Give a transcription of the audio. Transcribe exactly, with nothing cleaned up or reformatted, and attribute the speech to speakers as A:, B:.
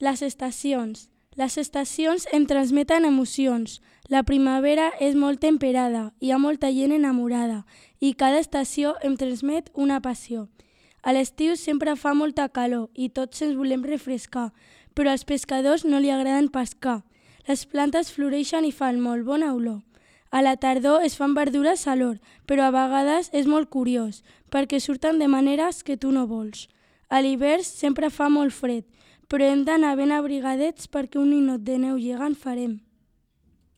A: Les estacions. Les estacions em transmeten emocions. La primavera és molt temperada, hi ha molta gent enamorada i cada estació em transmet una passió. A l'estiu sempre fa molta calor i tots ens volem refrescar, però als pescadors no li agraden pescar. Les plantes floreixen i fan molt bona olor. A la tardor es fan verdures a l'hort, però a vegades és molt curiós, perquè surten de maneres que tu no vols. A l'hivern sempre fa molt fred, però hem d'anar ben abrigadets perquè un ninot de neu gegant farem.